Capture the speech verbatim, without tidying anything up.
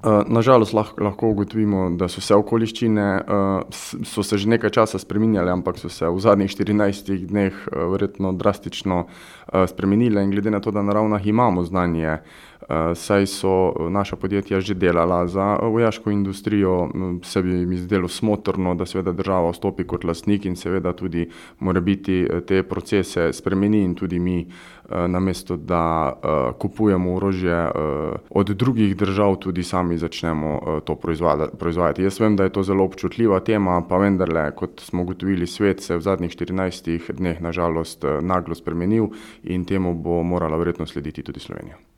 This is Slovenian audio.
Nažalost lahko, lahko ugotovimo, da so se okoliščine, so se že nekaj časa spreminjale, ampak so se v zadnjih štirinajstih dneh verjetno drastično spremenile in glede na to, da na Ravnah imamo znanje, saj so naša podjetja že delala za vojaško industrijo, se bi mi zdelo smotrno, da seveda država vstopi kot lastnik in seveda tudi morebiti te procese spremeni in tudi mi, namesto da kupujemo orožje od drugih držav, tudi sami začnemo to proizvajati. Jaz vem, da je to zelo občutljiva tema, pa vendarle, kot smo ugotovili, svet se v zadnjih štirinajstih dneh na žalost naglo spremenil in temu bo morala verjetno slediti tudi Slovenija.